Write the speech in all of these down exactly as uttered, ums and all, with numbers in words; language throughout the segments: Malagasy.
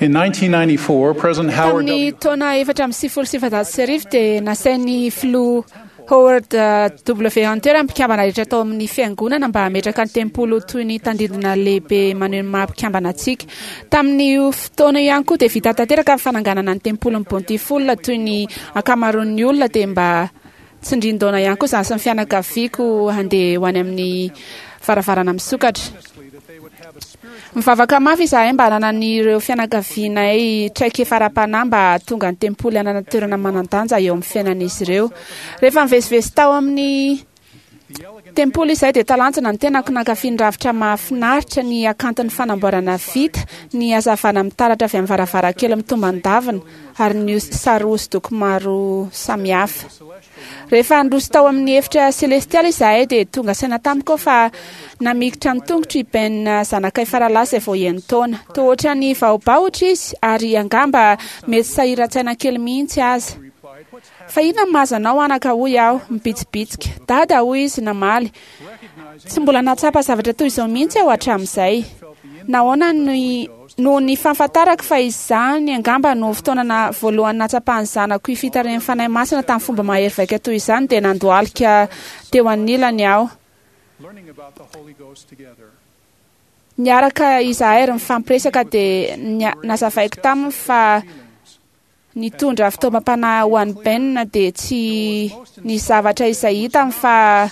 In nineteen ninety-four, President Howard Tamin'ny W. taona efatra amby sivifolo sy sivinjato sy arivo dia nasain'ny filoha Howard W. Hunter mpikambana rehetra tao amin'ny fiangonana mba hametraka ny tempoly ho toy ny tandindona lehibe maneho ny maha mpikambana antsika. Tamin'io fotoana io ihany koa dia vita tanteraka ny fananganana ny tempolin'ny Bountiful toy ny ankamaroan'ny olona, dia mba tsindrin-daona ihany koa izany sy ny fianakaviako handeha ho any amin'ny varavarana misokatra. Mivavaka mafy izahay mba hananan'ireo fianakavianay traikefa ara-panahy mba hahatonga ny tempoly hanana toerana manan-danja eo amin'ny fiainan'izy ireo. Rehefa nivezivezy tao amin'ny tempoly izahay dia talanjona ny tenako nankafy ny rafitra mahafinaritra, ny hakanton'ny fanamboarana vita, ny hazavana mitaratra avy amin'ny varavarankely mitombandavina ary ny sary hosodoko maro samihafa. Rehefa nandroso tao amin'ny efitra selestialy izahay dia tonga saina tamiko aho fa namikitra ny tongotro i Ben zanakay faralahy izay vao enin-taona. Toa ohatran'ny vahobahotra izy ary angamba mety sahiran-tsaina kely mihitsy aza. Fa inona no mahazo anao anaka, hoy aho mibitsibitsika. Dada, hoy izy namaly, tsy mbola nahatsapa zavatra toy izao mihitsy aho hatramin'izay. Nahoana ny noho ny fahafantarako fa izany angamba no fotoana voalohany nahatsapan'ny zanako io fitarihan'ny Fanahy Masina tamin'ny fomba mahery vaika toy izany, dia nandohalika teo anilany aho. Learning about the Holy Ghost together. Niaraka izahay ary nifampiresaka dia nia- nazavaiko taminy fa nitondra fitaovam-panahy ho an'i Ben dia tsy ny zavatra izay hitany fa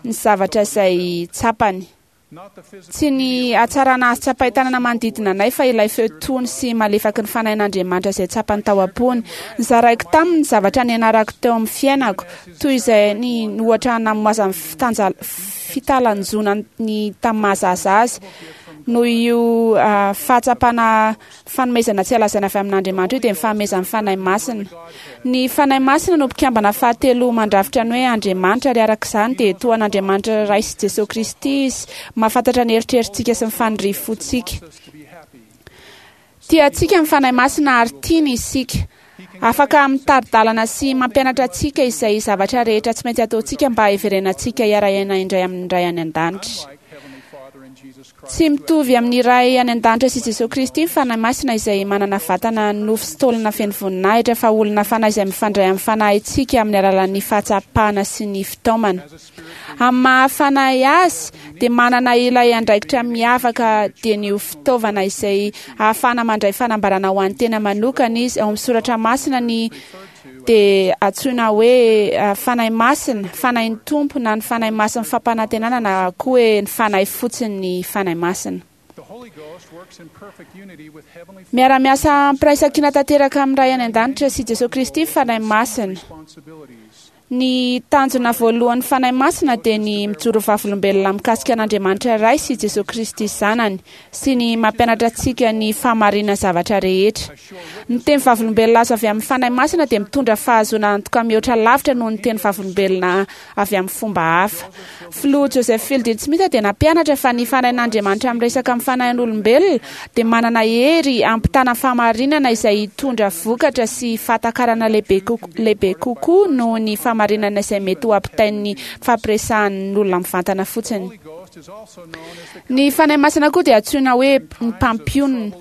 ny zavatra izay tsapany. Not the physical Tsy ny hatsarana azo tsapain-tanana manodidina anay fa ilay feo tony sy malefaky ny fanahin'Andriamanitra izay tsapany tao am-pony. Nozaraiko taminy ny zavatra nianarako teo amin'ny fiainako, toy izay ny ohatra namoazan'ny fitanja- fitalanjona ny tamin'ny mahazaza azy. Noho io ah, fahatsapana fanomezana tsy lazaina avy amin'Andriamanitra io dia ny fanomezan'ny Fanahy Masina. Ny Fanahy Masina no mpikambana fahatelo mandrafitra ny hoe Andriamanitra, ary araka izany dia toa an'Andriamanitra Ray sy Jesosy Kristy izy, mahafantatra ny eritreritsika sy ny faniriam-pontsika. us to be happy. Tia antsika ny Fanahy Masina ary tiany isika. Afaka mitari-dalana sy mampianatra antsika izay zavatra rehetra tsy maintsy ataontsika mba hiverenantsika hiara-hiaina indray amin'ny Ray any an-danitra. Like Heavenly Father and Jesus Christ. Tsy mitovy amin'ny Ray any an-danitra sy Jesosy Kristy ny Fanahy Masina izay manana vatana nofo sy taolana feno voninahitra, fa olona fanahy izay mifandray amin'ny fanahintsika amin'ny alalan'ny fahatsapana sy ny fitaomana. Amin'ny maha fanahy azy dia manana ilay andraikitra miavaka dia ny ho fitaovana izay ahafahana mandray fanambarana ho an'ny tena manokana izy. Ao amin'ny soratra masina ny dia antsoina hoe ah, Fanahy Masina, Fanahin'ny Tompo na ny Fanahy Masin'ny fampanantenana na koa hoe ny Fanahy fotsiny ny Fanahy Masina. The Holy Ghost works in perfect unity with Heavenly Miara-miasa am-piraisankina tanteraka amin'ny Ray any an-danitra sy Jesosy Kristy ny Fanahy Masina. responsibilities. Ny tanjona voalohan'ny Fanahy Masina dia ny mijoro vavolombelona mikasika an'Andriamanitra Ray sy Jesosy Kristy Zanany sy ny mampianatra antsika ny fahamarinana zavatra rehetra. Ny teny vavolombelona azo avy amin'ny Fanahy Masina dia mitondra fahazoana antoka mihoatra lavitra noho ny teny vavolombelona avy amin'ny fomba hafa. Filoha Joseph Fielding Smith dia nampianatra fa ny Fanahin'Andriamanitra miresaka amin'ny fanahin'olombelona dia manana hery hampitana fahamarinana izay hitondra vokatra sy fahatakarana lehibe koko- lehibe kokoa noho ny fahamarinana izay mety ho ampitain'ny fampiresahan'ny olona mivantana fotsiny. Holy Ghost is also known as the Ny Fanahy Masina koa dia antsoina hoe ny mpampionona.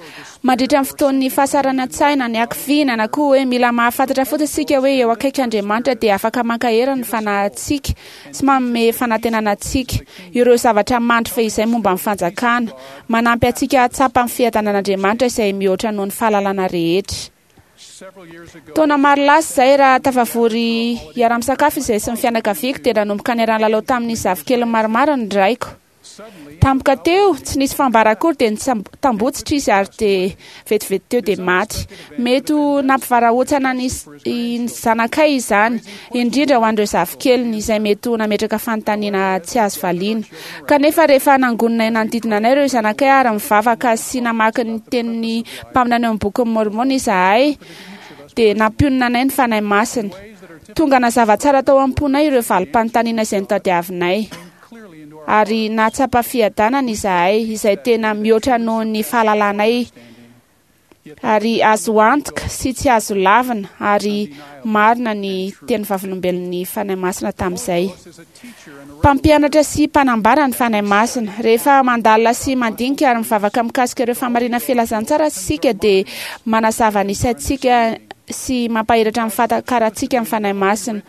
Mandritra ny fotoan'ny fahasahiran-tsaina, ny hakiviana na koa hoe mila mahafantatra fotsiny isika hoe eo akaiky Andriamanitra dia afaka mankahery ny fanahintsika sy manome fanantenana antsika. Ireo zavatra mandry fehizay momba ny fanjakana, manampy antsika hahatsapa ny fiadanan'Andriamanitra izay mihoatra noho ny fahalalana rehetra. several years ago. Taona maro lasa izay raha tafavory hiara-misakafo izay sy ny fianakaviako dia nanomboka niara-nilalao tamin'ny zafikely maromaro ny raiko. Suddenly, Tampoka teo, tsy nisy fambara akory dia nitambotsitra izy ary dia vetivety teo dia maty. Mety ho nampivarahontsana ny s- ny zanakay izany, indrindra ho an'ireo zafikeliny izay mety ho nametraka fanontaniana tsy azo valiana. Kanefa rehefa nangonina nanodidina anay ireo zanakay ary mivavaka sy namaky ny tenin'ny mpaminany eo amin'ny bokin'ny Mormona izahay, dia nampionona anay ny Fanahy Masina. Tonga nazava tsara tao am-ponay ireo valim-panontaniana izay notadiavinay. clearly into our Ary nahatsapa fiadanana izahay izay tena mihoatra noho ny fahalalanay Ary azo antoka sy tsy azo lavina ary marina ny teny vavolombelon'ny Fanahy Masina tamin'izay. Mpampianatra sy mpanambara ny Fanahy Masina. Rehefa mandalina sy mandinika ary mivavaka mikasika ireo fahamarinan'ny filazantsara isika, dia manazava ny saintsika sy mampahiratra ny fahatakarantsika ny Fanahy Masina.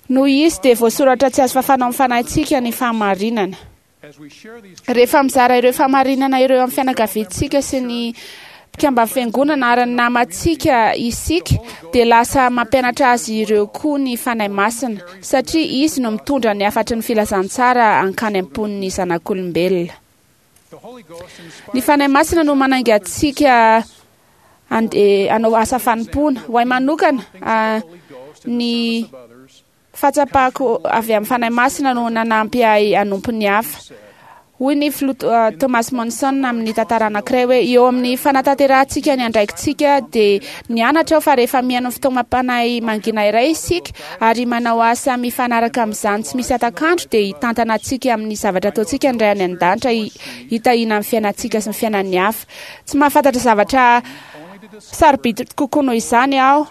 Noho izy dia voasoratra tsy azo fafana amin'ny fanahintsika ny fahamarinana. Rehefa mizara ireo fahamarinana ireo amin'ny fianakaviantsika sy ny mpikamban'ny fiangonana ary ny namantsika isika, dia lasa mampianatra azy ireo koa ny Fanahy Masina, satria izy no mitondra ny hafatry ny filazantsara hankany am-pon'ny zanak'olombelona. Ny Fanahy Masina no manainga antsika andeha hanao asa fanompoana. Ho ahy manokana, ny fahatsapako avy amin'ny Fanahy Masina no nanampy ahy hanompo ny hafa. Hoy ny filoha Thomas Monson amin'ny tantara anankiray hoe eo amin'ny fanatanterahantsika ny andraikitsika dia nianatra aho fa rehefa mihaino ny fitaomam-panahy mangina iray isika ary manao asa mifanaraka amin'izany tsy misy hatak'andro, dia hitantana antsika amin'ny zavatra ataontsika ny Ray any an-danitra hitahiana ny fiainantsika sy ny fiainan'ny hafa. Tsy mahafantatra zavatra sarobidy kokoa noho izany aho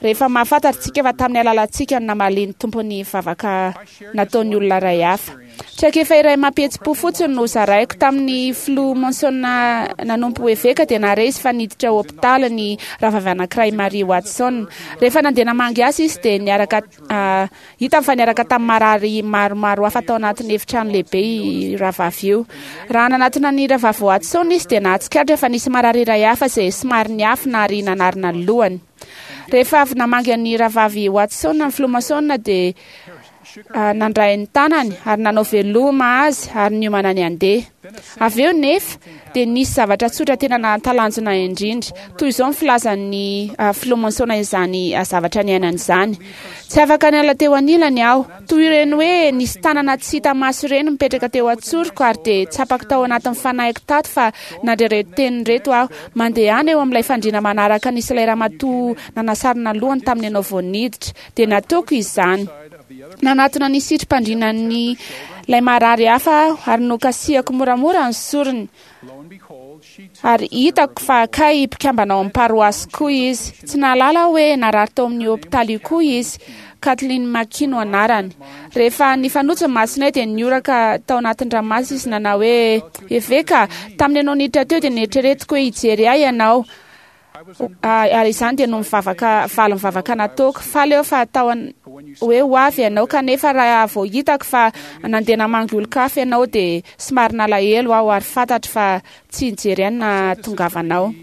rehefa mahafantatra isika fa tamin'ny alalantsika no namalian'ny Tompo ny vavaka nataon'ny olona iray hafa. Traikefa iray mampihetsi-po fotsiny no zaraiko tamin'ny filoha Monson nanompo eveka, dia nahare izy fa niditra hopitaly ny rahavavy anankiray Marie Watson. Rehefa nandeha namangy azy izy dia niaraka hitany fa niaraka tamin'ny marary maromaro hafa tao anatin'ny efitrano lehibe io rahavavy io. Raha nanatona ny rahavavy Watson izy dia nahatsikaritra fa nisy marary iray hafa izay somary niafina ary nanarina ny lohany. Rehefa avy namangy ny rahavavy Watson ny filoha Monson dia nandray ny tanany ary nanao veloma azy ary niomana ny handeha. Avy eo nefa dia nisy zavatra tsotra tena nahatalanjona indrindra. Toy izao ny filazan'ny filoha Monson izany zavatra niainany izany. Tsy afaka niala teo anilany aho. Toy ireny hoe nisy tanana tsy hita maso ireny mipetraka teo an-tsoroko ary dia tsapako tao anatin'ny fanahiko tato fa nandre ireto teny ireto aho. Mandehana eo amin'ilay fandriana manaraka nisy ilay ramatoa nanasarona lohany tamin'ny ianao vao niditra. Dia nataoko izany. Nanatona ny sitrim-pandrinan'ny ilay marary hafa aho ary nokasihako moramora ny sorony. Ary hitako fa kay mpikambana ao amin'ny paroasy koa izy. Tsy nahalala aho hoe narary tao amin'ny hopitaly io koa izy. Kathleen McKee no anarany. Rehefa nifanojo ny masonay dia nioraka tao anatin'ny ranomasina izy nanao hoe eveka, tamin'ny ianao niditra teo dia nieritreretiko hoe hijery ahy ianao. Ary izany dia no mivavaka valy mivavaka nataoko. Faly aho fa tao hoe ho avy ianao, kanefa raha vao hitako fa nandeha namangy olon-kafa ianao dia somary nalahelo aho ary fantatro fa tsy nijery ahy na tongavanao.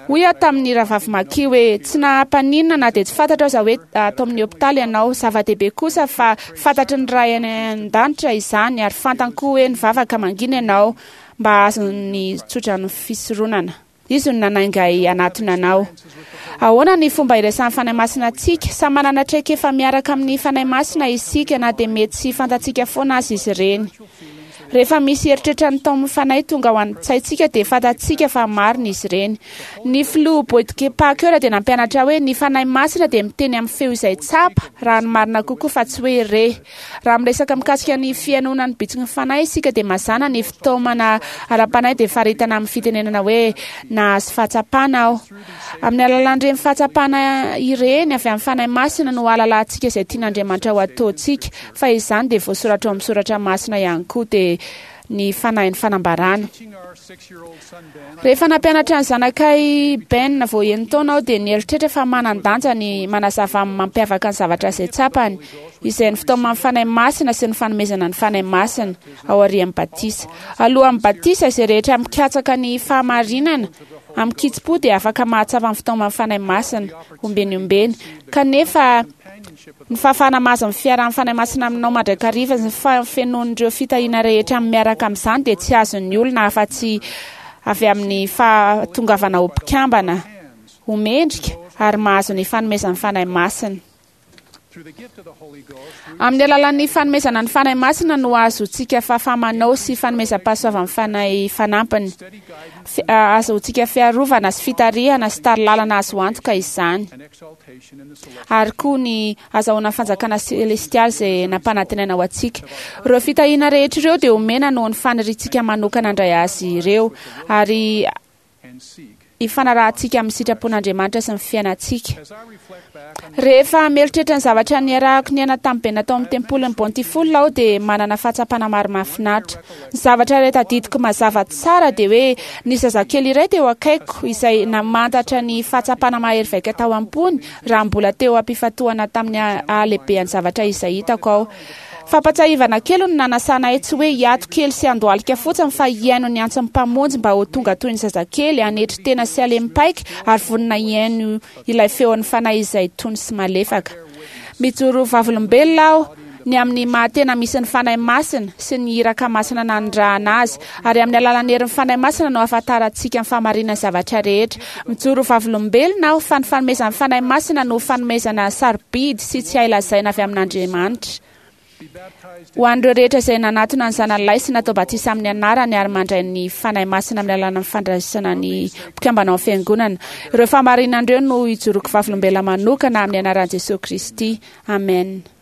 Hoy aho tamin'ny rahavavy McKee hoe tsy nahampaninona na dia tsy fantatro aza hoe atao amin'ny hopitaly ianao. Zava-dehibe kosa fa fantatry ny Ray any an-danitra izany ary fantany koa hoe nivavaka mangina ianao mba hahazo ny tsotran'ny fisoronana. Izy no nanainga ahy hanatona anao. Ahoana ny fomba iraisan'ny Fanahy Masina antsika? Samy manana traikefa miaraka amin'ny Fanahy Masina isika na dia mety tsy fantatsika foana azy izy ireny. Rehefa misy eritreritra ny taomin'ny Fanahy tonga ao an-tsaintsika dia fantatsika fa marina izy ireny. Ny filoha Boyd K. Packer dia nampianatra hoe ny Fanahy Masina dia miteny amin'ny feo izay tsapa raha ny marina kokoa fa tsy hoe re. Raha miresaka mikasika ny fihainoana ny bitsiky ny Fanahy isika dia mazàna ny fitaomana ara-panahy dia faritana amin'ny fitenenana hoe nahazo fahatsapana aho. Amin'ny alalan'ireny fahatsapana ireny avy amin'ny Fanahy Masina no ahalalantsika izay tian'Andriamanitra ho ataontsika, fa izany dia voasoratra ao amin'ny soratra masina ihany koa dia ny fanahin'ny fanambarana. Rehefa nampianatra ny zanakay Ben vao enin-taona aho dia nieritreritra fa manan-danja ny manazava amin'ny mampiavaka ny zavatra izay tsapany, izay ny fitaoman'ny Fanahy Masina sy ny fanomezana ny Fanahy Masina ao aorian'ny batisa. Alohan'ny batisa, izay rehetra mikatsaka ny fahamarinana amin'ny kitsim-po dia afaka mahatsapa ny fitaoman'ny Fanahy Masina ombeny ombeny. Kanefa ny fahafahana mahazo ny fiarahan'ny Fanahy Masina aminao mandrakariva sy ny fahafenoan'ireo fitahiana rehetra miaraka amin'izany dia tsy azon'ny olona afa-tsy avy amin'ny fahatongavana ho mpikambana ho mendrika ary mahazo ny fanomezan'ny Fanahy Masina. Amin'ny alalan'ny fanomezana ny Fanahy Masina no ahazoantsika fahafaha-manao sy fanomezam-pahasoavan'ny Fanahy fanampiny. Ahazoantsika fiarovana sy fitarihana sy tari-lalana azo antoka izany. Ary koa ny azahoana fanjakana selestialy izay nampanantenaina ho antsika. Ireo fitahiana rehetra ireo dia omena noho ny faniriantsika manokana handray azy ireo ary ifanarahantsika amin'ny sitrapon'Andriamanitra sy ny fiainantsika. Rehefa mieritreritra ny zavatra niarahako niaina tamin'ny be natao amin'ny tempolin'ny Bountiful aho dia manana fahatsapana maro mahafinaritra. Ny zavatra iray tadidiko mazava tsara dia hoe ny zazakely iray teo akaiko izay namantatra ny fahatsapana mahery vaika tao am-pony raha mbola teo am-pifantohana tamin'ny halehibehan'ny zavatra izay hitako aho. Fampatsiahivana kely no nanasana ahy tsy hoe hiato kely sy handohalika fotsiny fa hihaino ny antson'ny Mpamonjy mba ho tonga toy ny zazakely, hanetry tena sy halemy-paika ary vonona hihaino ilay feon'ny Fanahy izay tony sy malefaka. Mijoro vavolombelona aho ny amin'ny maha-tena misy ny Fanahy Masina sy ny iraka masina nanirahana azy, ary amin'ny alalan'ny herin'ny Fanahy Masina no ahafantarantsika ny fahamarinan'ny zavatra rehetra. Mijoro vavolombelona aho fa ny fanomezan'ny Fanahy Masina no fanomezana sarobidy sy tsy hay lazaina avy amin'Andriamanitra. Ho an'ireo rehetra izay nanatona ny Zanany sy natao batisa amin'ny anarany ary mandray ny Fanahy Masina amin'ny alalan'ny fandraisana ny mpikambana ao amin'ny fiangonana. Ireo fahamarinana ireo no ijoroako vavolombelona manokana amin'ny anaran'i Jesosy Kristy. Amen.